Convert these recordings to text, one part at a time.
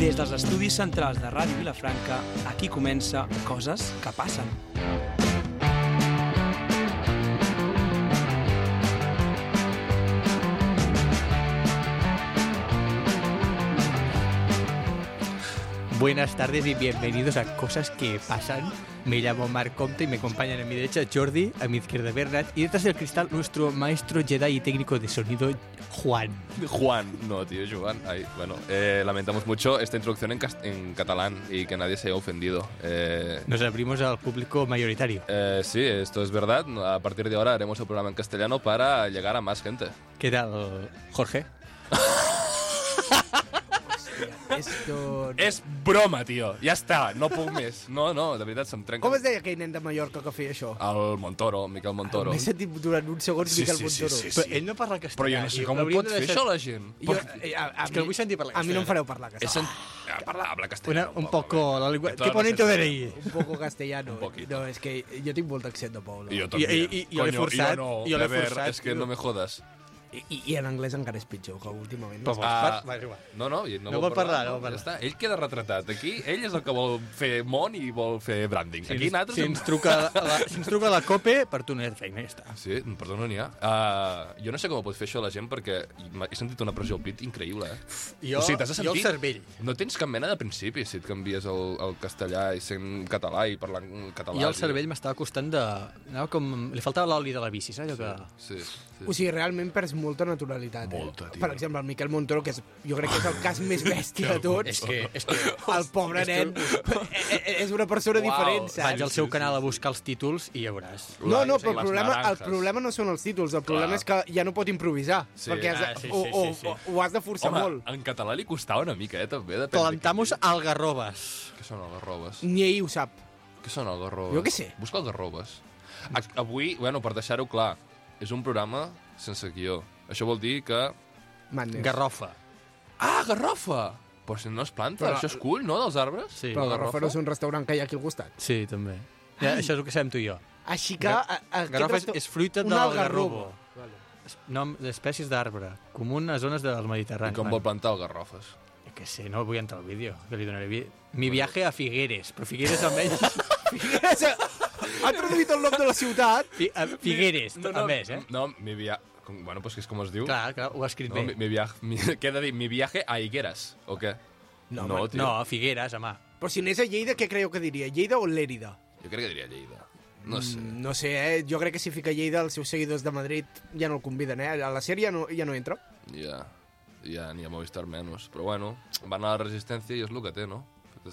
Des dels estudis centrals de Ràdio Vilafranca, aquí comença Coses que passen. Buenas tardes y bienvenidos a Cosas que Pasan. Me llamo Marc Comte y me acompañan a mi derecha Jordi, a mi izquierda Bernat y detrás del cristal nuestro maestro Jedi y técnico de sonido Juan. No, tío, Joan. Ay, bueno, lamentamos mucho esta introducción en catalán y que nadie se haya ofendido. Nos abrimos al público mayoritario. Sí, esto es verdad. A partir de ahora haremos el programa en castellano para llegar a más gente. ¿Qué tal, Jorge? Esto... És broma, tio. Ja està, no puc més. No, de veritat, se'm trenca. Com es deia aquell nen de Mallorca que feia això? El Montoro, Miquel Montoro. M'he sentit durant uns segons Miquel Montoro. Sí. Però ell no parla castellà. Però jo no sé com ho pot fer això la gent. Jo, És que el vull sentir parlar a mi no em castellà. fareu parlar castellà. Habla castellà. Un poco la lengua... Claro, Qué bonito no sé. DNI. Un poco castellano. Un poquito. No, és que jo tinc molt d'accent de poble. I jo també. I jo l'he forçat. Jo no, Jo l'he de ver, forçat. és que no me jodes. I en anglès encara és pitjor, que últimament. Però Ah, va, és igual. No, No vol parlar, no vol parlar. Ja està. Ell queda retratat. Aquí, ell és el que vol fer món i vol fer branding. Aquí nosaltres... Si ens truca la COPE, per tu no hi ha feina, ja està. Sí, perdó, no n'hi ha. Jo no sé com ho pot fer això la gent, perquè he sentit una pressió al pit increïble, Jo, O sigui, t'has de jo el sentir- cervell. No tens cap mena de principi si et canvies el castellà i sent català i parlant català. I el cervell m'estava costant de... Anava com... Li faltava l'oli de la bici, saps? Allò que... Sí. O sigui, realment perds molta naturalitat. Molta, tio. Per exemple, el Miquel Montoro, que jo crec que és el cas més bèstia de tots. És que El pobre nen és una persona diferent, vaig saps? al seu canal a buscar els títols i ja veuràs. No, Sí, però les el naranjas. problema no són els títols, el problema Clar. és que ja no pot improvisar, Sí. perquè Sí. ho has de forçar Home, molt. en català li costava una mica, també. Depèn de Plantamos quin- algarrobes. Què són algarrobes? Ni ell ho sap. Què són algarrobes? Jo què sé. Busca algarrobes. Avui, bueno, per deixar-ho clar, és un programa sense guió. Això vol dir que... Madness. Garrofa. Ah, garrofa! Però si no es planta, Però- això és cull, no, dels arbres? Sí. Però Garrofa no és un restaurant que hi ha aquí al costat. Sí, també. Ja, això és el que sabem tu i jo. Així que... aquest Garrofa resta- és fruita un de algarrobo. l'algarrobo. Nom d'espècies d'arbre, comú en les zones del I Mediterrani. com vol plantar algarrofes? Jo què sé, no vull entrar al vídeo, que li donaré... Mi viaje a Figueres, però Figueres almenys... Ha traduït el nom de la ciutat. Figueres, a més, eh? No, mi viaje... Bueno, pues que és com es diu. Clar, ho ha escrit No, bé. què he de dir? Mi viaje a Higueras, o què? No, tio. No, Figueres, home. Però si anés a Lleida, què creieu que diria? Lleida o Lérida? Jo crec que diria Lleida. No sé. No sé, Jo crec que si fica Lleida, els seus seguidors de Madrid ja no el conviden, A la sèrie ja no entra. Ja ni a Movistar menys. Però bueno, van a la resistència i és el que té, no?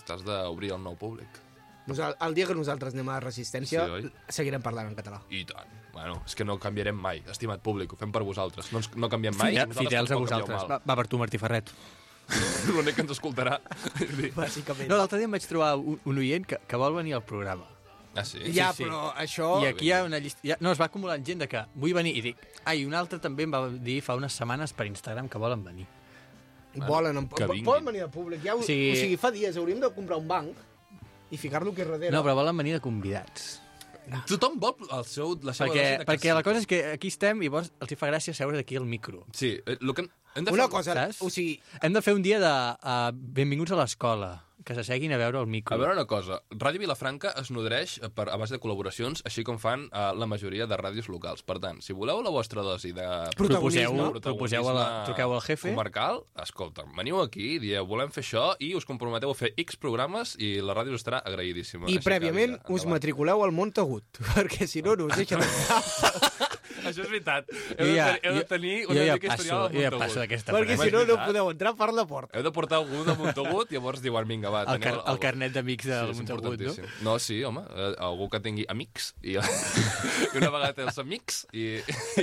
T'has d'obrir al nou públic. El dia que nosaltres anem a la Resistència, Sí, oi? seguirem parlant en català. I tant. Bueno, és que no canviarem mai, estimat públic, ho fem per vosaltres. No canviem mai. Fidels a vosaltres. Va per tu, Martí Ferret. L'únic que ens escoltarà. Bàsicament. No, l'altre dia em vaig trobar un oient que vol venir al programa. Ah, sí? Ja, sí. però això... I aquí hi ha una llista... No, es va acumulant gent de que vull venir i dic... I un altre també em va dir fa unes setmanes per Instagram que volen venir. Volen que vinguin. poden venir al públic. Ja, Sí. O sigui, fa dies hauríem de comprar un banc i ficar-lo aquí darrere. No, però volen venir de convidats. Tothom vol la seva Perquè la cosa és que aquí estem i llavors els hi fa gràcia seure d'aquí al micro. Sí, el que hem de Una fer... cosa, saps? o sigui, Hem de fer un dia de benvinguts a l'escola, que s'asseguin a veure el micro. A veure una cosa, Ràdio Vilafranca es nodreix a base de col·laboracions, així com fan la majoria de ràdios locals. Per tant, si voleu la vostra dosi de Truqueu al jefe. comarcal, escolta, veniu aquí, dieu, volem fer això, i us comprometeu a fer X programes i la ràdio us estarà agraïdíssima. i Així que, prèviament vinga, us endavant. matriculeu al Montagut, perquè si no us deixen entrar. Això és veritat. Jo Heu de tenir una mica historial al jo ja Montagut. passo d'aquesta perquè frase. si no, no veritat. podeu entrar per la porta. Heu de portar algú de Montagut, llavors diuen, vinga, va, El, teniu el carnet d'amics del és Montagut, no? importantíssim. No, sí, home, algú que tingui amics i, i una vegada té els amics i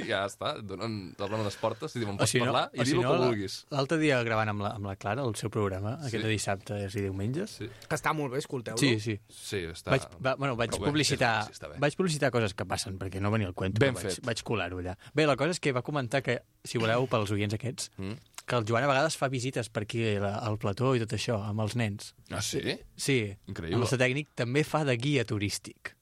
ja està, t'obren les portes i diuen, pots parlar i dir el que vulguis. L'altre dia gravant amb la Clara el seu programa, aquest de dissabtes i diumenges. Sí, Que està molt bé, escolteu-lo. Sí, sí. sí està... Vaig Però bé, publicitar, sí, està bé. vaig publicitar coses que passen, perquè no venia al cuento, Ben però fet. vaig colar-ho allà. Bé, la cosa és que va comentar que, si voleu, pels oients aquests, que el Joan a vegades fa visites per aquí al plató i tot això, amb els nens. Ah, sí? Sí, Increïble. el nostre tècnic també fa de guia turístic.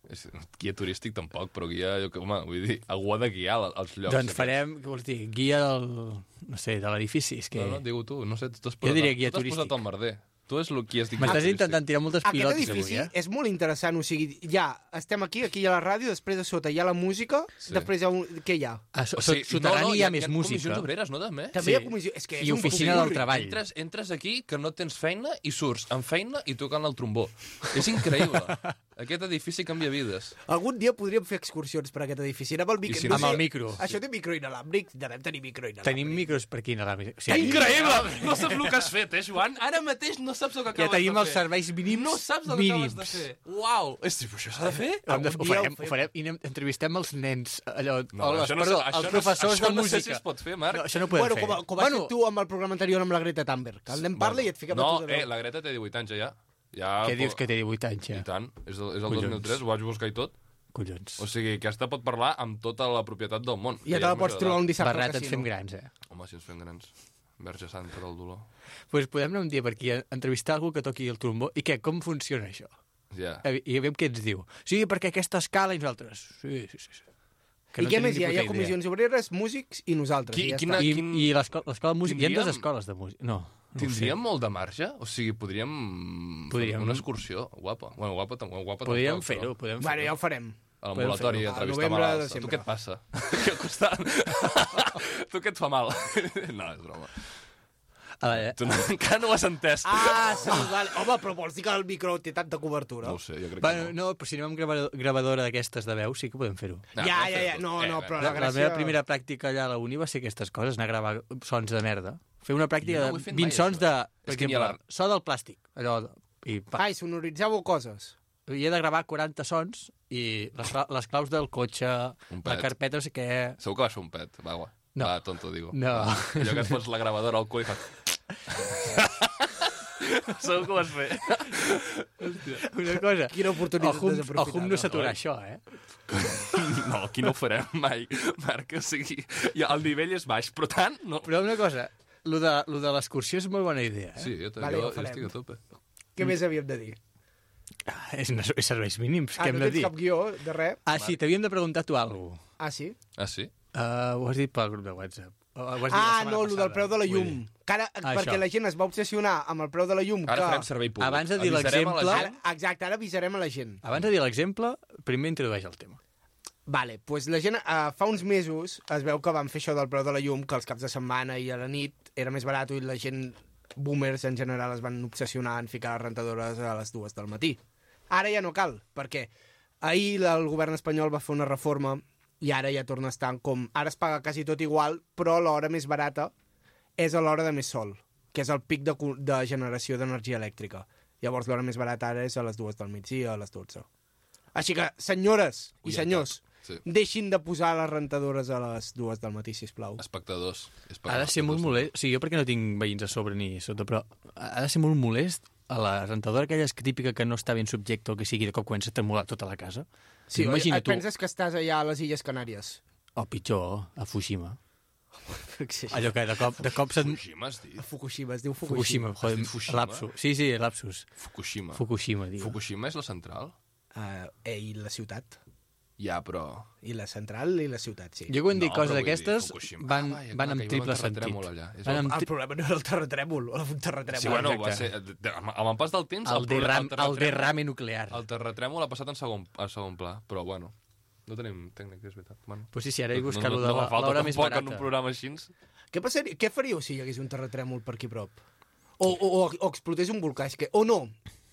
Guia turístic tampoc, però guia, home, vull dir, algú ha de guiar als llocs. Doncs farem, què vols dir, guia del, no sé, de l'edifici. És que... No, digue-ho tu, no sé, tu t'has Jo diria guia tu t'has turístic. posat el merder. tu és el qui estic... M'estàs intentant tirar moltes Aquest pilotes edifici avui, és molt interessant, o sigui, ja estem aquí hi ha la ràdio, després de sota hi ha la música, després hi ha què hi ha? Soterrani hi ha més música. Comissions obreres, no, també? També hi ha comissió... És que és I oficina del treball. Entres aquí que no tens feina i surts amb feina i tocant el trombó. És increïble. Aquest edifici canvia vides. Algun dia podríem fer excursions per aquest edifici. Amb el micro. Amb el micro. Això té micro inalàmbric? Devem tenir micro inalàmbric. Tenim micros per aquí inalàmbric. Que increïble! No saps el que has fet, Joan? Ara mateix no saps el que acabes de fer. Ja tenim els serveis mínims. No saps el que acabes de fer. Uau! Això s'ha de fer? Ho farem i entrevistem els nens, els professors de música. Això no sé si es pot fer, Marc. No, això no ho podem fer. Com has fet tu amb el programa anterior amb la Greta Thunberg. El nen parla i et fiquem a tu de veu. La Greta té 18 anys ja. Què dius que té 18 anys ja? I tant, és el 2003, ho vaig buscar i tot. Collons. O sigui, aquesta pot parlar amb tota la propietat del món. Ja te la pots trobar un dissabte al casino. casino. Ens fem grans, Home, si ens fem grans. Verge Santa del dolor. Doncs podem anar un dia per aquí a entrevistar algú que toqui el trombó. I què, com funciona això? Ja. I veiem què ens diu. Sí, perquè aquesta escala i nosaltres. Sí. I què més hi ha? Hi ha comissions obreres, músics i nosaltres. I l'escola de música. Hi ha 2 escoles de música. No. Tindríem molt de marge? O sigui, podríem fer una excursió guapa. Bueno, guapa podríem fer-ho. Bueno, ja ho farem. A l'ambulatori, entrevistar malalts. Tu què et passa? Què et costa? Tu què et fa mal? No, és broma. Tu encara no ho has entès. Sí, vale. Home, però vols dir que el micro té tanta cobertura? No ho sé, jo crec que no. No, però si anem amb gravadora d'aquestes de veu, sí que podem fer-ho. Ja. No, però la gràcia... La meva primera pràctica allà a la uni va ser aquestes coses, anar a gravar sons de merda. Fer una pràctica de 20 sons de... Per exemple, so del plàstic. I sonoritzàveu coses. I he de gravar 40 sons i les claus del cotxe, la carpeta, no sé què... Segur que va ser un pet, va, no. Va, tonto, digo. No. Allò que et pots la gravadora al cul i fa... Segur que ho vas fer. Una cosa... Quina oportunitat desaprofitada. Ojo no s'aturar això, No, aquí no ho farem mai, Marc. O sigui, el nivell és baix, però tant no. Però una cosa, lo de l'excursió és molt bona idea, Sí, jo estic a tope. Què més havíem de dir? És serveis mínims, què hem no de dir? tens cap guió de res? Sí, t'havíem de preguntar tu alguna cosa. Sí? Sí? Ho has dit pel grup de WhatsApp. No, el del preu de la llum. Perquè la gent es va obsessionar amb el preu de la llum. Ara farem servei públic. Abans de dir l'exemple... Exacte, ara avisarem a la gent. Abans de dir l'exemple, primer introdueix el tema. Vale, doncs la gent fa uns mesos es veu que van fer això del preu de la llum, que els caps de setmana i a la nit era més barat i la gent, boomers en general, es van obsessionar en ficar les rentadores a les 2 del matí. Ara ja no cal, perquè ahir el govern espanyol va fer una reforma i ara ja torna a estar com... Ara es paga quasi tot igual, però l'hora més barata és a l'hora de més sol, que és el pic de generació d'energia elèctrica. Llavors l'hora més barata ara és a les 2 del migdia, a les 12. Així que, senyores i senyors, deixin de posar les rentadores a les 2 del matí, sisplau. Espectadors. Ha de ser molt molest. Sí, jo perquè no tinc veïns a sobre ni sota, però ha de ser molt molest a la rentadora aquella típica que no està ben subjecte o que sigui, de cop comença a tremolar tota la casa. Sí, et penses que estàs allà a les Illes Canàries? O pitjor, a Fukushima. Allò que de cop se't... Fukushima es diu? Fukushima, es diu Fukushima. Joder, lapsus. Sí, lapsus. Fukushima, diu. Fukushima és la central? I la ciutat. Ja, però... I la central i la ciutat, sí. Jo quan dic coses d'aquestes van amb triple sentit. El problema no era el terratrèmol, o un terratrèmol. Sí, bueno, va ser... Amb el pas del temps... El derrame nuclear. El terratrèmol ha passat en segon pla, però bueno... No tenim tècnic, és veritat. Pues sí, ara he buscat l'hora més barata. En un programa així. Què faríeu si hi hagués un terratrèmol per aquí prop? O explotés un volcà, és que... O no,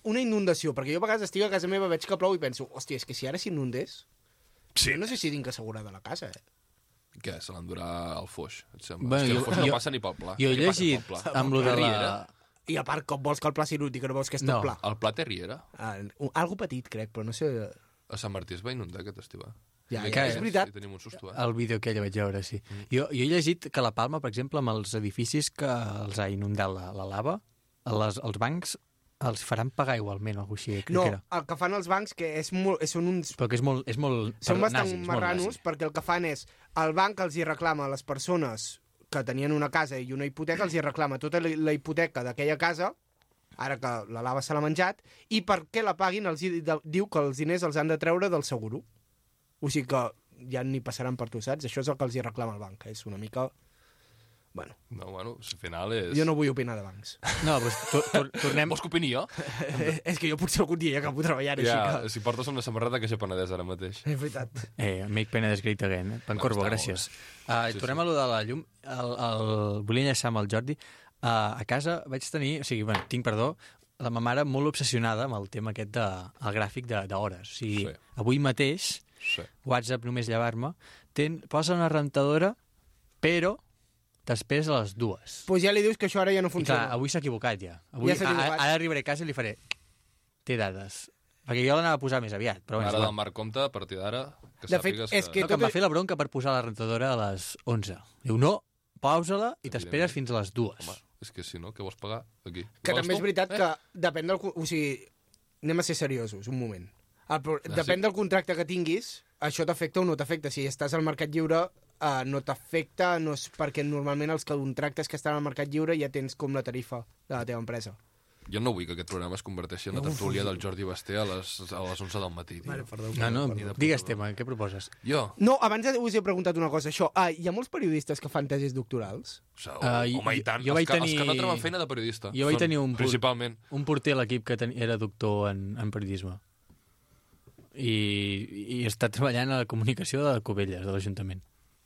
una inundació, perquè jo a vegades estic a casa meva, veig que plou i penso, hòstia, és que si ara s'inundés... Sí. No sé si tinc assegurada la casa, Què, se l'endurà al foix, et sembla? És que el foix no passa ni pel pla. Jo he llegit amb lo de la... I a part, com vols que el pla s'inunti, que no vols que és tot pla? El pla té riera? Algo petit, crec, però no sé... A Sant Martí es va inundar aquest estiu. Ja, és veritat. Tenim un susto, El vídeo que ella vaig veure, sí. Jo he llegit que la Palma, per exemple, amb els edificis que els ha inundat la lava, els bancs els faran pagar igualment, o alguna cosa així. No, el que fan els bancs, que són uns... Però que és molt són bastant marranos, perquè el que fan és... El banc els hi reclama a les persones que tenien una casa i una hipoteca, els hi reclama tota la hipoteca d'aquella casa, ara que la lava se l'ha menjat, i perquè la paguin diu que els diners els han de treure del seguro. O sigui que ja ni passaran per tu, saps? Això és el que els hi reclama el banc. És una mica Bueno, No, bueno, al final és... jo no vull opinar de bancs. No, doncs tornem... Vols que opini jo? És que jo potser algun dia ja acabo treballant així Ja, que... si portes una samarreta que sé Penedès ara mateix. És veritat. Make Penedès great again. Pancorbo, està gràcies. Sí, Tornem a lo de la llum. Volia enllaçar amb el Jordi. A casa vaig tenir... O sigui, bueno, tinc, perdó, la meva mare molt obsessionada amb el tema aquest el gràfic d'hores. O sigui, Sí. avui mateix, Sí. WhatsApp, només llevar-me, posa una rentadora, però després a les 2. Pues ja li dius que això ara ja no I clar, funciona. avui s'ha equivocat ja. Avui, Ja s'ha equivocat. Ara arribaré a casa i li faré... Té dades. Perquè jo l'anava a posar més aviat. Però Mare bueno, del Marc Comte, a partir d'ara, que De fet, sàpigues és que no, que em tot va fer la bronca per posar la rentadora a les 11. Diu, no, pausa-la i t'esperes fins a les 2. Home, és que si no, què vols pagar aquí? Que també és veritat que Eh? depèn del... O sigui, anem a ser seriosos, un moment. Depèn sí. del contracte que tinguis, això t'afecta o no t'afecta. Si estàs al mercat lliure, no t'afecta, no és perquè normalment els contractes que estan al mercat lliure ja tens com la tarifa de la teva empresa. Jo no vull que aquest programa es converteixi en la tertúlia del Jordi Basté a les 11 del matí. Tio. Vale, perdó. No, perdó. digues tema, què proposes? Jo? No, abans us he preguntat una cosa, això. Hi ha molts periodistes que fan tesis doctorals? O sigui, home, i tant. jo vaig Els que no tenir- troben feina de periodista. Jo vaig Són, tenir principalment. un porter a l'equip que era doctor en periodisme. I està treballant a la comunicació de Cubelles, de l'Ajuntament.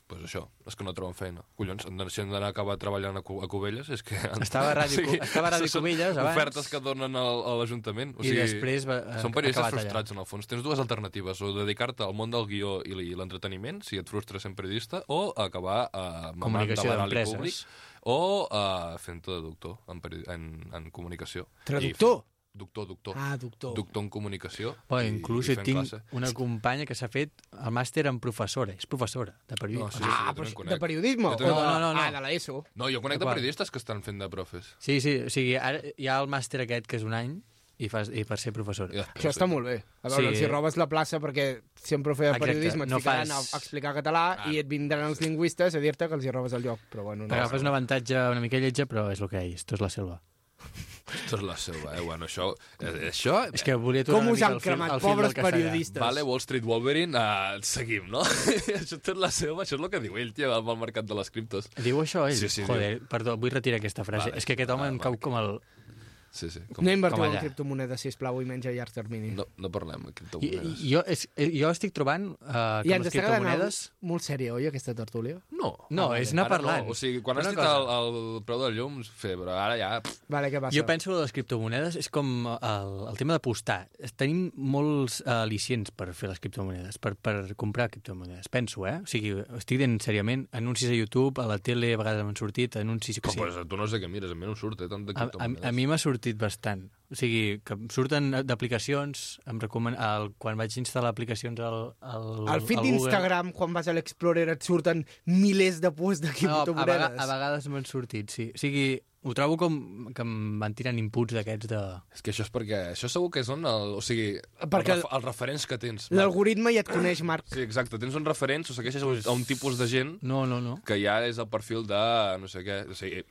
Pues això, els que no troben feina. Collons, si han d'anar a acabar treballant a Cubelles, és que... Estava a Ràdio Cubelles abans. Ofertes que donen a l'Ajuntament. O I sigui, després són periodistes acabat allà. frustrats, en el fons. Tens dues alternatives, o dedicar-te al món del guió i l'entreteniment, si et frustres sent periodista, o acabar mamant Comunicació de l'anàlisi d'empreses. públic, o fent-te de doctor en comunicació. Traductor? Doctor. Ah, doctor. Doctor en comunicació. Però i inclús fent tinc classe. una companya que s'ha fet el màster en professora. És professora de periodisme. No, sí. Ah, jo però també en conec. de periodisme? Jo també- O de... No. Ah, de l'ESO. No, jo conec de D'acord. periodistes que estan fent de profes. Sí, o sigui, ara hi ha el màster aquest que és un any i per ser professora. Ja, Això està molt bé. A veure, Sí. si robes la plaça perquè sempre feia Exacte, periodisme, et no ficaran fas- a explicar català i et vindran els lingüistes a dir-te que els hi robes el lloc. Però bueno, no. T'agafes un avantatge una mica lletja, però és el que hi és. Esto és la selva. Esto és la selva, Bueno, això... És que volia tornar Com una us mica han al fil, cremat, al fil pobres del castellà. periodistes? Vale, Wall Street Wolverine, seguim, no? Això és la selva, això és el que diu ell, tio, amb el mercat de les criptos. Diu això ell? Sí, Joder, perdó, vull retirar aquesta frase. Vale, És que aquest home em cau vale. com el... Sí. No invertiu com en allà. criptomonedes, sisplau, i menys a llarg termini. No parlem de I, criptomonedes. jo estic trobant que I les ens està quedant criptomonedes... molt sèria, oi, aquesta tertúlia? No, és anar Ara parlant. No. O sigui, quan has Una dit cosa. el preu del llum, però ara ja... Vale, què passa? Jo penso que les criptomonedes és com el tema d'apostar. Tenim molts al·licients per fer les criptomonedes, per comprar criptomonedes. Penso, O sigui, estic dient seriament, anuncis a YouTube, a la tele, a vegades m'han sortit, anuncis... Però, pues, tu no sé què mires, a mi no em surt, tant de criptomonedes. A mi m'ha sortit bastant. O sigui, que em surten d'aplicacions, quan vaig instal·lar aplicacions Al feed al Google... d'Instagram, quan vas a l'Explorer, et surten milers de posts de criptomonedes. A vegades m'han sortit, sí. O sigui, ho trobo com que em van tirant inputs d'aquests de... És que això és perquè... Això segur que són o sigui, Perquè els referents que tens. L'algoritme ja et coneix, Marc. Sí, exacte. Tens uns referents, o segueixes a un tipus de gent No. que ja és el perfil de no sé què, o sigui,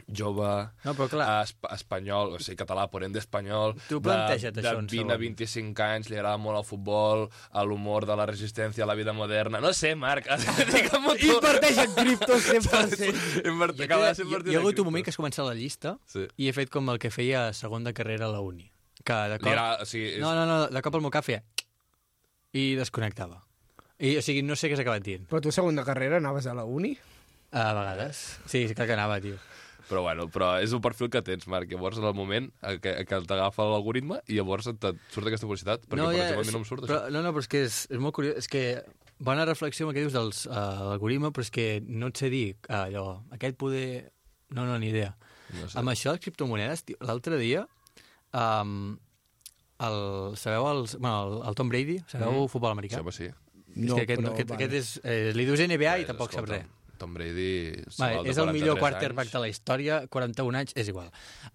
jove, No, però clar. espanyol, o sigui, català, por ende espanyol, Tu planteja't de això un 20 a segon. 25 anys, li agrada molt el futbol, a l'humor de la resistència a la vida moderna. No sé, Marc, digue'm-ho tu. Inverteix en criptos 100%. Acaba de ser Hi ha hagut un moment que has començat la llista Sí. i he fet com el que feia a segon de carrera a la uni. Que de Li cop... agrada, o sigui, és... No, de cop el meu cap feia... I desconnectava. O sigui, no sé què s'ha acabat dient. Però tu, segona carrera, anaves a la uni? A vegades. Sí, clar que anava, tio. Però és el perfil que tens, Marc. Llavors, en el moment que t'agafa l'algoritme i llavors et surt aquesta publicitat. Perquè, per exemple, a mi no em surt però, això. No, però és que és molt curiós. És que bona reflexió amb el que dius dels l'algoritme, però és que no et sé dir allò, aquest poder... No, ni idea. No sé. Amb això de les criptomonedes, tio, l'altre dia, sabeu el Tom Brady? Sabeu futbol americà? Sí, home, sí. És que aquest és... li dius NBA i tampoc sap res. Tom Brady... Vale, és el millor quarterback de la història, 41 anys, és igual.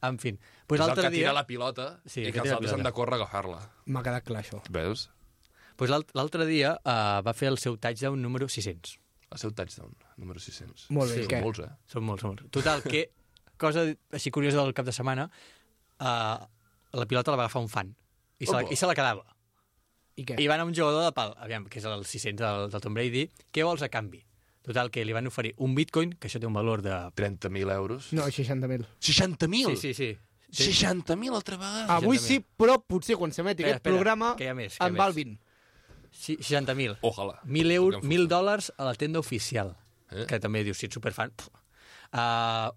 En fi, pues és el l'altre que dia... tira la pilota Sí, i que que els tira la altres han pilota. de córrer a agafar-la. M'ha quedat clar, això. Veus? Pues l'altre dia va fer el seu touchdown número 600. El seu touchdown, número 600. Molt bé, Sí, què? Molts, Són molts. Total, que cosa així curiosa del cap de setmana, la pilota la va agafar un fan i se la quedava. I què? I va anar un jugador de pal, aviam, que és el 600 del Tom Brady, què vols a canvi? Total, que li van oferir un bitcoin, que això té un valor de... 30.000 euros. No, 60.000. 60.000? Sí. 60.000 altra vegada? Avui sí, però potser quan s'emeti aquest programa que hi ha més, en val 20. 60.000. Ojalà. 1.000 euros, $1.000 a la tenda oficial. Que també dius, si ets superfan...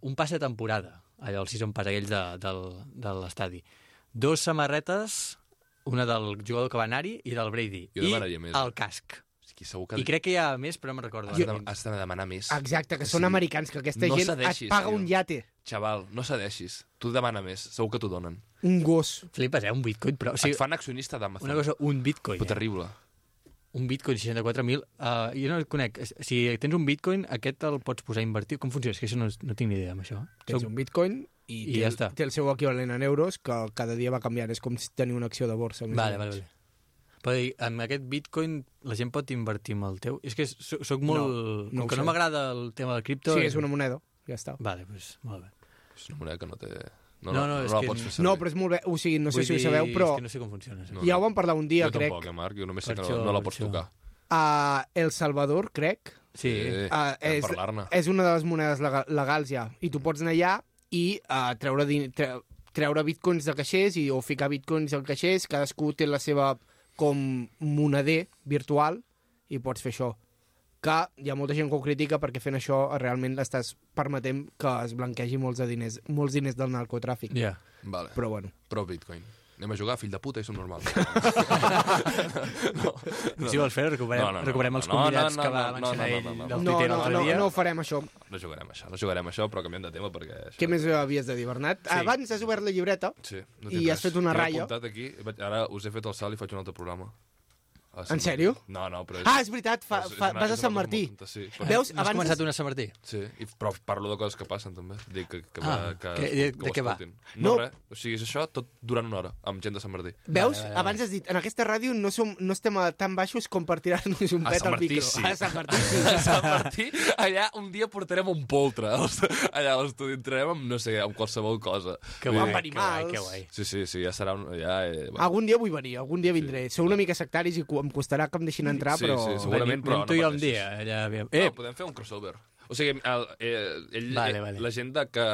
un pas de temporada, allò, el season pass, aquells de l'estadi. 2 samarretes, una del jugador que va anar-hi i del Brady. Jo demanaria més. El casc. Segur que... I crec que hi ha més, però no me'n recordo. Has de demanar més. Exacte, que són americans, que aquesta no gent cedeixis, et paga tio. un iate. Xaval, no cedeixis. Tu demana més, segur que t'ho donen. Un gos. Flipes, un bitcoin, però... O sigui, Et fan accionista d'Amazon. una cosa, un bitcoin. Però terrible. Un bitcoin, 64.000. Jo no el conec. Si tens un bitcoin, aquest el pots posar a invertir. Com funciona? És que això no tinc ni idea, amb això. Tens un bitcoin i ja està. té el seu equivalent en euros, que cada dia va canviant. És com si tenir una acció de borsa. Vale. Però amb aquest bitcoin la gent pot invertir amb el teu? És que soc molt... No com que sé. no m'agrada el tema del cripto... Sí, és una moneda. Ja està. Vale, doncs molt bé. És una moneda que no té... No, no és la que- pots fer servir. No, però és molt bé. O sigui, no sé Vull si ho dir, sabeu, però És que no sé com funciona. No. ja ho vam parlar un dia, Jo crec. tampoc, Marc, jo només sé Per que això, no la per pots això. tocar. A El Salvador, crec, Sí. Hem parlar-ne. és una de les monedes legals ja. I tu pots anar allà i treure bitcoins de caixers o ficar bitcoins al caixers. Cadascú té la seva com moneder virtual i pots fer això. Que hi ha molta gent que ho critica perquè fent això realment l'estàs permetent que es blanquegi molts diners del narcotràfic. Ja. Vale. Però bueno. Però Bitcoin. Anem a jugar, fill de puta, i som normal. Si vols fer, recuperem els convidats que va mencionar ell del No, Twitter l'altre dia. no ho farem, això. No jugarem això, però canviem de tema perquè... Què més havies de dir, Bernat? Sí. Abans has obert la llibreta Sí, no i tinc has res. fet una T'he ratlla. apuntat aquí, ara us he fet el salt i faig un altre programa. En sèrio? No, però... És veritat, vas a Sant Martí. Sí, Veus, No has abans... començat una Sant Martí? sí, però parlo de coses que passen, també. Dic que de què va? No, No. res. O sigui, és això tot durant una hora, amb gent de Sant Martí. Veus? Vale. Abans has dit, en aquesta ràdio no estem tan baixos com per tirar-nos un A pet Sant al Martí, micro. sí. A Sant Martí, sí. A Sant Martí, allà un dia portarem un poltre. Allà a l'estudi entrarem amb, no sé, amb qualsevol cosa. Que Vull guai, dir, amb animals. que guai. Sí, ja serà un... Ja, bueno. Algun dia vull venir, algun dia vindré. Sou una mica sectaris i em costarà que em deixin entrar, Sí, però... sí, segurament, però Anem tu i jo un pateixis. dia. Allà, aviam. No, podem fer un crossover. O sigui, Vale. la gent que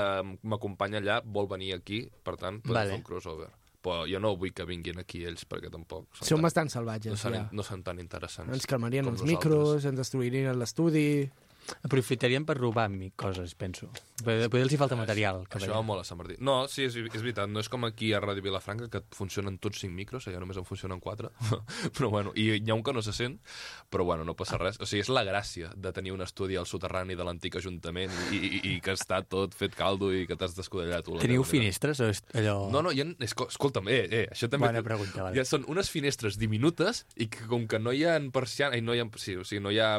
m'acompanya allà vol venir aquí, per tant, podem Vale. fer un crossover. Però jo no vull que vinguin aquí ells, perquè tampoc... Som bastant salvatges, ja. No són tan interessants. Ens calmarien com els nosaltres. micros, ens destruirien l'estudi... Aprofitarien per robar-me coses, penso. Potser els hi falta material. Que Això va molt a Sant Martí. No, sí, és veritat. No és com aquí a Ràdio Vilafranca, que funcionen tots 5 micros, allà només en funcionen 4. Però bueno, i hi ha un que no se sent, però bueno, no passa res. O sigui, és la gràcia de tenir un estudi al soterrani de l'antic ajuntament i que està tot fet caldo i que t'has descodellat tu. Teniu finestres o és allò... No, escolta'm, això també... Bona pregunta, vale. Ja són unes finestres diminutes i que com que no hi ha persiana, no hi ha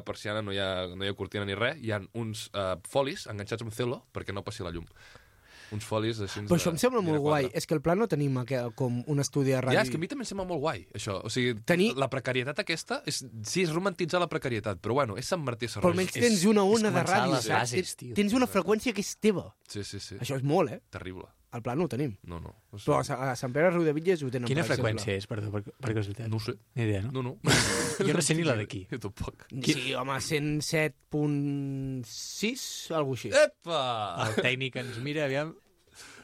persiana, no hi ha cortina ni res, hi ha uns folis enganxats amb celo perquè no passi la llum. Uns folis així... Però això em sembla molt guai. És que al pla no tenim com un estudi de ràdio. Ja, és que a mi també em sembla molt guai, això. O sigui, la precarietat aquesta, sí, és romantitzar la precarietat, però bueno, és Sant Martí Sarroja. Però almenys tens una ona de començar ràdio, les saps? bases, tio. Tens una freqüència que és teva. Sí. Això és molt, Terrible. Al pla no ho tenim. No. Però a Sant Pere Riudebitlles ho tenen. Quina per exemple. freqüència és, perdó, per casualitat? No ho sé. Ni idea, no? No. Jo no sé ni la d'aquí. Jo tampoc. Sí, home, 107.6, alguna així. Epa! El tècnic ens mira, aviam...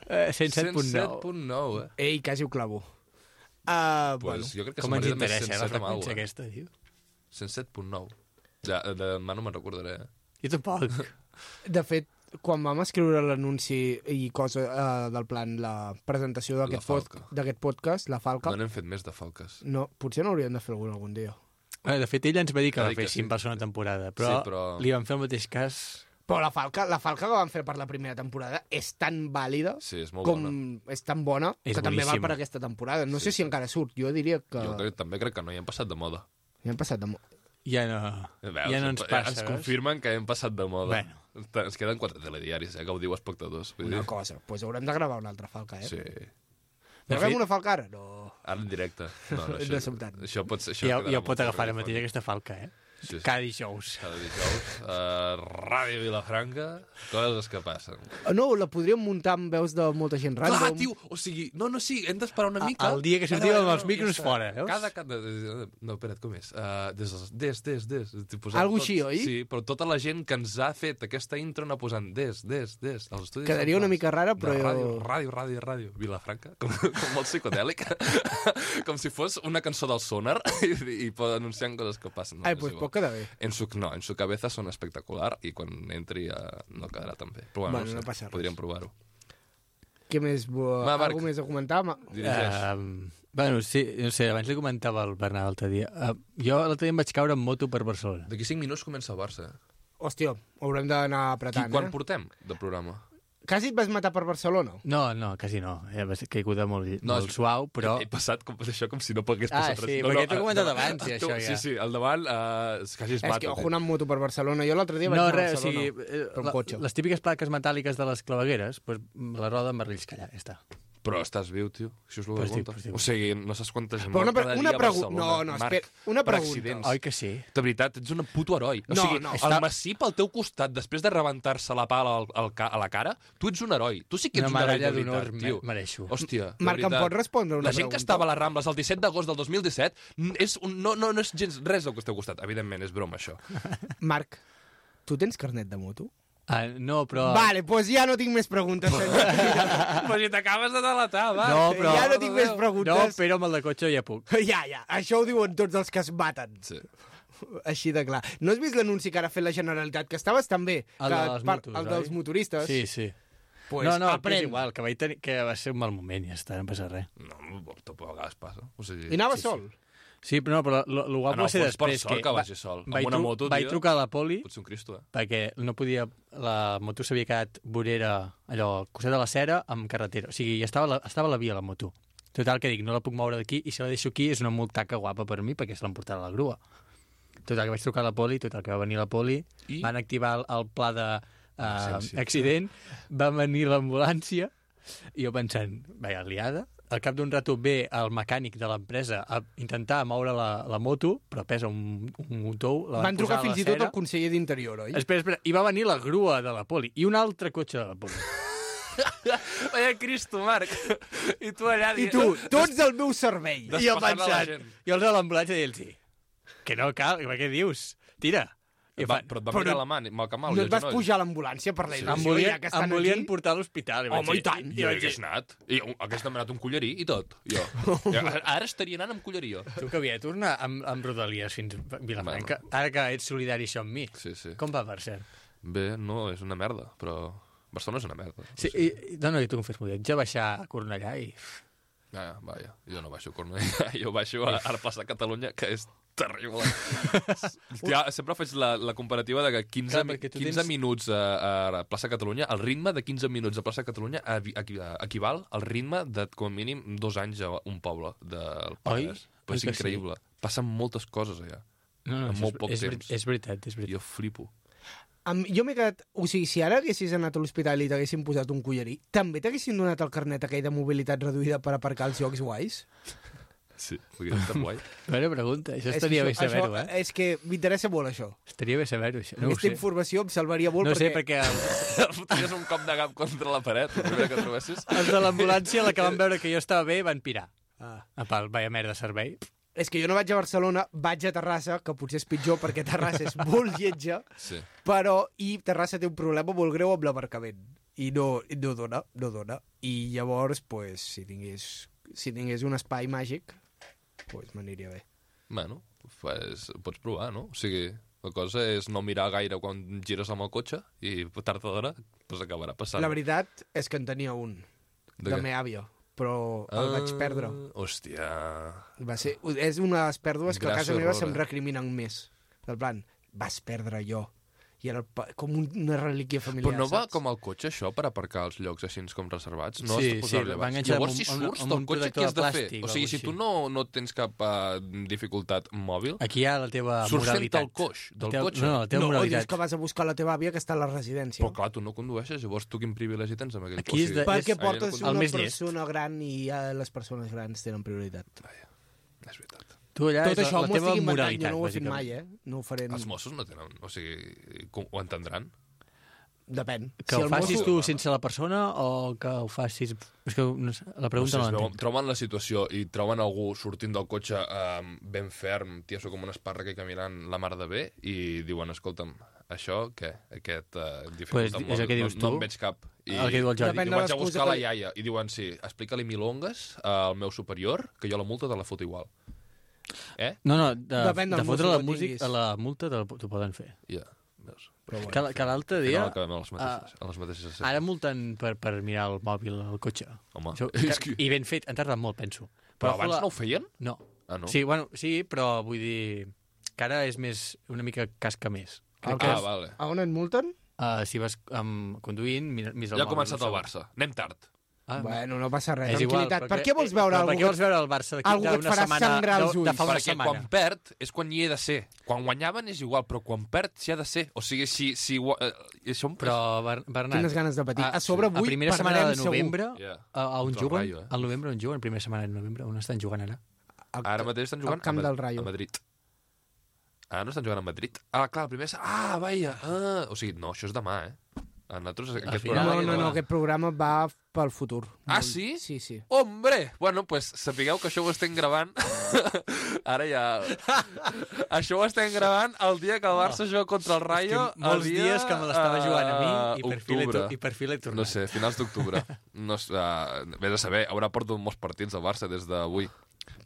107.9. 107.9, Ei, quasi ho clavo. Pues jo crec que Com ens Sant Martí també és interessa, la 107 amb freqüència alguna aquesta, tio? 107.9. Ja, demà no me'n recordaré. Jo tampoc. De fet, quan vam escriure l'anunci i cosa del plan, la presentació d'aquest podcast, la Falca, No n'hem fet més de falques. no, potser n'hauríem de fer algun dia. De fet, ell ens va dir que Va la dir que féssim sí. per segona temporada, però, Sí, però- li van fer el mateix cas... Però la falca que vam fer per la primera temporada és tan vàlida, Sí, és molt com bona. és tan bona, És que també val boníssima. per aquesta temporada. No sé si encara surt, jo diria que... També crec que no, ja hem passat de moda. Ja hem passat de... Ja no ens passa, Ens veus? confirmen que hem passat de moda. Bueno. Ens queden 4 telediaris, que ho diu espectadors. Vull Una dir. cosa, doncs haurem de gravar una altra falca, Sí. Gravem una falca ara? No. Ara en directe. No, No som tant. això pot ser... Això Ja quedarà pot molt agafar ara radiofònic. mateix aquesta falca, eh? Sí. Cada dijous. Cada dijous. Ràdio Vilafranca, coses que passen. No, la podríem muntar amb veus de molta gent random. Clar, tio, o sigui, no, sí, hem d'esperar una mica. El dia que sortim amb els micros fora, veus? No, espera't, com és? Des. Algo així, oi? Sí, però tota la gent que ens ha fet aquesta intro anar posant des. Els estudis Quedaria una mica rara, però... Ràdio. Vilafranca, com molt psicodèlic. Com si fos una cançó del Sonar i anunciant coses que passen. Ai, doncs pot quedar bé. En su cabeza son espectacular i quan entri no quedarà tan bé. Però bueno, no passa res. Podríem provar-ho. Què més? Algú més a comentar? Dirigeix. Bueno, sí, no sé, abans li comentava al Bernat l'altre dia. Jo l'altre dia em vaig caure en moto per Barcelona. D'aquí 5 minuts comença el Barça. Hòstia, haurem d'anar apretant, Quan portem de programa? Quasi et vas matar per Barcelona? No, quasi no. Va ser caiguda molt suau, però... He passat això com si no hagués passat res. Sí, perquè t'ho he comentat abans, això ja. Sí, al davant quasi es mata. És que ojo anar amb moto per Barcelona. Jo l'altre dia vaig anar a Barcelona per un cotxe. Les típiques plaques metàl·liques de les clavegueres, la roda em va relliscar allà, ja està. Però estàs viu, tio. Això és el que compta. O sigui, no saps quanta gent mort cada dia a Barcelona. No, espera. Una pregunta. Oi que sí? De veritat, ets un puto heroi. O sigui, el Massip al teu costat, després de rebentar-se la pala a la cara, tu ets un heroi. Tu sí que ets un heroi de veritat, tio. Mereixo. Hòstia, Marc, em pots respondre una pregunta? La gent que estava a les Rambles el 17 d'agost del 2017 no és gens res del que esteu costat. Evidentment, és broma, això. Marc, tu tens carnet de moto? No, però... Vale, doncs ja no tinc més preguntes, senyor. Però si t'acabes de delatar, va. No, però... Ja no tinc més preguntes. No, però amb el de cotxe ja puc. Ja. Això ho diuen tots els que es maten. Sí. Així de clar. No has vist l'anunci que ara ha fet la Generalitat? Que estaves també. El dels motoristes. Sí. Pues no, que és igual, que va ser un mal moment, ja està, no passa res. No, tot a vegades passa. O sigui... I anava sol? Sí, però lo guapo va ser després. Per sort que vagi sol. Amb una moto, tio... Vaig trucar a la poli... Potser un Cristo, perquè no podia... La moto s'havia quedat vorera, allò, costat de la cera, amb carretera. O sigui, estava a la via, la moto. Total, que dic, no la puc moure d'aquí, i si la deixo aquí és una multaca guapa per mi, perquè se l'emportarà a la grua. Total, que vaig trucar a la poli, total, que va venir la poli, van activar el pla d'accident, va venir l'ambulància, i jo pensant, vaja, liada. Al cap d'un rato ve el mecànic de l'empresa a intentar moure la moto, però pesa un tou. Van trucar fins i tot al conseller d'Interior, oi? Espera. I va venir la grua de la poli i un altre cotxe de la poli. Vaya Cristo, Marc. I tu allà... I tu, tots al meu servei. I jo pensant, jo els de l'ambulància i ells que no cal, què dius? Tira. Però et va mirar la mà, mal que mal. No et vas pujar a l'ambulància per la il·lusió, ja que estan aquí? Em volien portar a l'hospital. Home, i tant. Jo hagués anat. I hagués demanat un collarí i tot. Jo. Ara estaria anant amb collarí, jo. Tu que havia de tornar amb Rodalies fins a Vilafranca. Ara que ets solidari això amb mi. Sí. Com va, per cert? Bé, no, és una merda, però... Barcelona és una merda. Sí, no, tu em fes molt. Ets a baixar a Cornellà i... Vaja, jo no baixo a Cornellà, jo baixo a plaça Catalunya, que és terrible. Sempre faig la comparativa de que 15 minuts a plaça Catalunya, el ritme de 15 minuts a plaça Catalunya equival al ritme de, com a mínim, 2 anys a un poble del Penedès. Però és increïble. Passen moltes coses allà. No, en molt poc temps. És veritat. Jo flipo. Jo m'he quedat... O sigui, si ara haguessis anat a l'hospital i t'haguessin posat un collarí, també t'haguessin donat el carnet aquell de mobilitat reduïda per aparcar els llocs guais? Sí, hauria estat guai. Bona pregunta, això estaria bé saber-ho, És que m'interessa molt, això. Estaria bé saber-ho, això. Aquesta informació em salvaria molt, perquè... No sé, perquè... Fotries un cop de cap contra la paret, el primer que trobessis. Els de l'ambulància, la que van veure que jo estava bé, van pirar. Vaya merda servei. És que jo no vaig a Barcelona, vaig a Terrassa, que potser és pitjor perquè Terrassa és molt lletja, sí. I Terrassa té un problema molt greu amb l'aparcament. I no dona. I llavors, pues, si tingués un espai màgic, pues, m'aniria bé. Bueno, pues, pots provar, no? O sigui, la cosa és no mirar gaire quan gires amb el cotxe i tard o d'hora pues, acabarà passant. La veritat és que en tenia un, de meva àvia, però el vaig perdre. Hòstia... És unes pèrdues que a casa meva se'm recriminen més. Del plan, vas perdre allò. I era com una relíquia familiar, Però no va saps? com el cotxe, això, per aparcar els llocs així com reservats? No sí, va enganxar llavors, si surts del cotxe, què has de fer? O sigui, si tu no tens cap dificultat mòbil... Aquí hi ha la teva moralitat. Surts fent el coix del cotxe. No, la teva moralitat. Dius que vas a buscar la teva àvia que està a la residència. Però clar, tu no condueixes, llavors tu quin privilegi tens amb aquell cotxe? Perquè portes una persona gran i les persones grans tenen prioritat. Vaja, és veritat. Tu allà Tot és això la m'ho teva estic inventant, moralitat, jo no ho he fet bàsicament. mai, No ho faré... Els Mossos no tenen... O sigui, ho entendran? Depèn. Que ho facis mosso- tu sense la persona o que ho facis... És que no sé, la pregunta no, l'entenc. Troben la situació i troben algú sortint del cotxe ben ferm, tieso com un espàrrec i caminant la mar de bé, i diuen, escolta'm, això què? Aquest dificulta Pues és el que dius no tu. en veig cap. I, El que diu el Jordi. Depèn i de vaig a l'excusa buscar la que- iaia. I diuen, sí, explica-li milongues al meu superior, que jo la multa te la foto igual. No, Depèn del de fotre mosso la que música, tinguis. a la multa t'ho poden fer. Ja, veus? Però bueno. Que l'altre Que dia... no acabem a les mateixes escenes. Ara multen per mirar el mòbil al cotxe. Home, Això, és que... I ben fet, han tardat molt, penso. Però abans no ho feien? No. Ah, no? Sí, bueno, sí, però vull dir que ara és més, una mica casca més. Crec que Vale. A on et multen? si vas conduint, mires el Ja ha mòbil. començat un el segon. Barça. Anem tard. Ah, Bueno, no passa res, és igual, tranquil·litat. Per què vols veure per algú? què vols veure el Barça d'aquí algú que et d'una farà setmana, sangrar els de ulls? fa una Perquè setmana? quan perd és quan hi he de ser. Quan guanyaven és igual, però quan perd s'hi ha de ser. O sigui, això Però, Bernat, Quines ganes de patir. A sobre avui a primera setmana perdrem de segur. novembre, Yeah. a on Contra el juguen? Rayo, Al novembre on juguen? Primera setmana de novembre, on estan jugant ara? Ara mateix estan jugant al camp del Rayo. a Madrid. Ah, no estan jugant a Madrid? Ah, clar, el primer... vaja. O sigui, no, això és demà, A nosaltres aquest final, programa... No, aquest programa va pel futur. Ah, sí? Sí. Hombre! Bueno, pues sapigueu que això ho estem gravant... Ara ja... Això ho estem gravant el dia que el Barça juga contra el Rayo. És que molts el dia, dies que me l'estava jugant a mi octubre. i per fi l'he tornat. No sé, finals d'octubre. No, vés a saber, haurà portat molts partits al Barça des d'avui.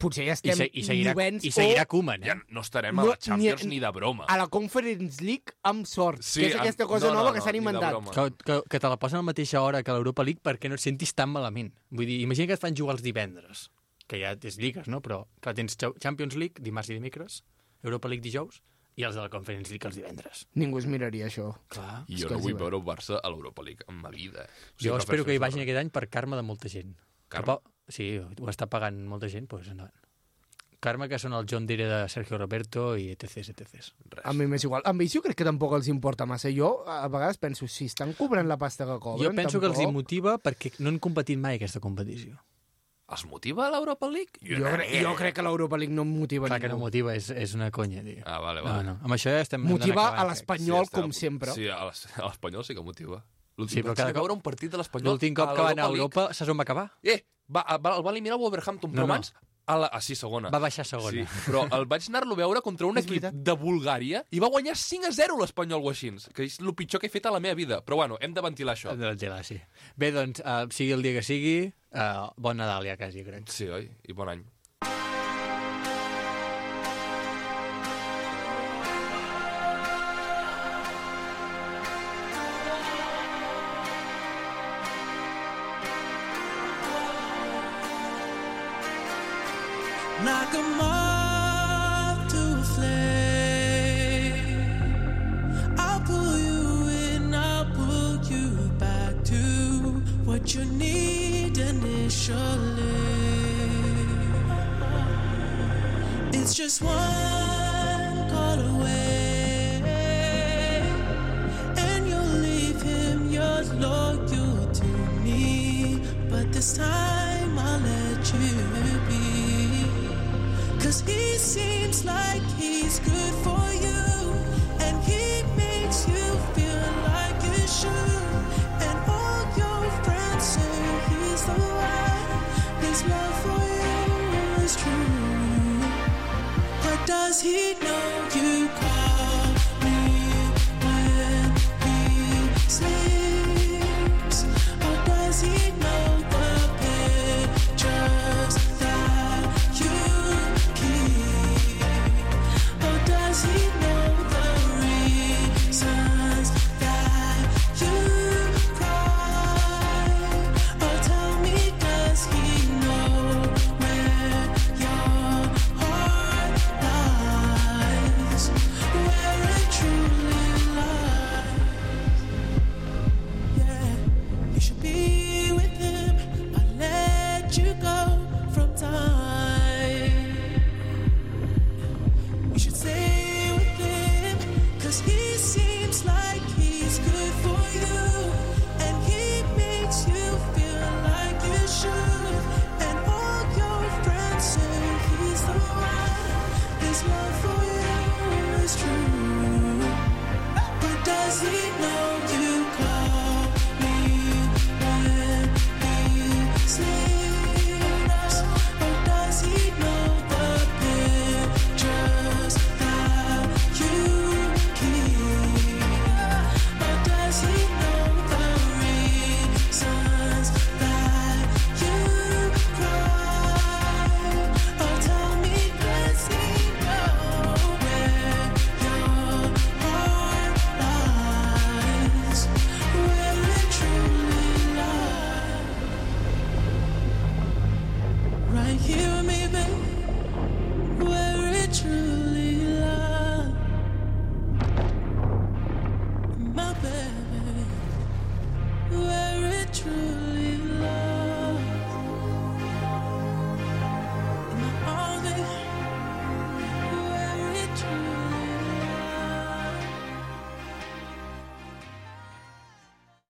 Potser ja I, estem i seguirà, novens i seguirà o Koeman, Ja no estarem a la Champions ni de broma. a la Conference League amb sort, Sí, que és aquesta cosa no, nova no, que s'han ni de inventat. broma. que te la posen a la mateixa hora que l'Europa League perquè no et sentis tan malament. Vull dir, imagina que et fan jugar els divendres, que ja és lligues, no? Però clar, tens Champions League dimarts i dimecres, Europa League dijous, i els de la Conference League els divendres. Ningú es miraria això. Clar. I jo no vull veure el Barça a l'Europa League en ma vida. Jo espero que hi vagin aquest any per karma de molta gent. Karma? Sí, ho està pagant molta gent, doncs endavant. Karma, que són el John Deere de Sergio Roberto i etc. A mi m'és igual. Amb ells jo crec que tampoc els importa massa. Jo a vegades penso, si estan cobrant la pasta que cobren... Jo penso que els tampoc... motiva perquè no han competit mai aquesta competició. Els motiva l'Europa League? Jo crec que l'Europa League no em motiva Clar que no ningú. motiva, és una conya, tio. Ah, vale. No. Amb això ja estem... Motiva a acabant, l'Espanyol, estem- com sempre. Sí, a l'Espanyol sí que motiva. Sí, però cada cop- veure un partit de l'Espanyol L'últim cop que va anar a Europa, saps on va acabar? El va eliminar el Wolverhampton, però No. abans... Sí, segona. Va baixar segona. Sí, però el vaig anar-lo a veure contra un És equip veritat. de Bulgària i va guanyar 5-0 l'Espanyol o així, que és el pitjor que he fet a la meva vida. Però bueno, hem de ventilar això. De la sí. Bé, doncs, sigui el dia que sigui, bon Nadal ja quasi, crec. Sí, oi? I bon any. Like a moth to a flame, I'll pull you in, I'll pull you back to what you need initially. It's just one call away, and you'll leave him, you're loyal to me, but this time I'll let you be. 'Cause he seems like he's good for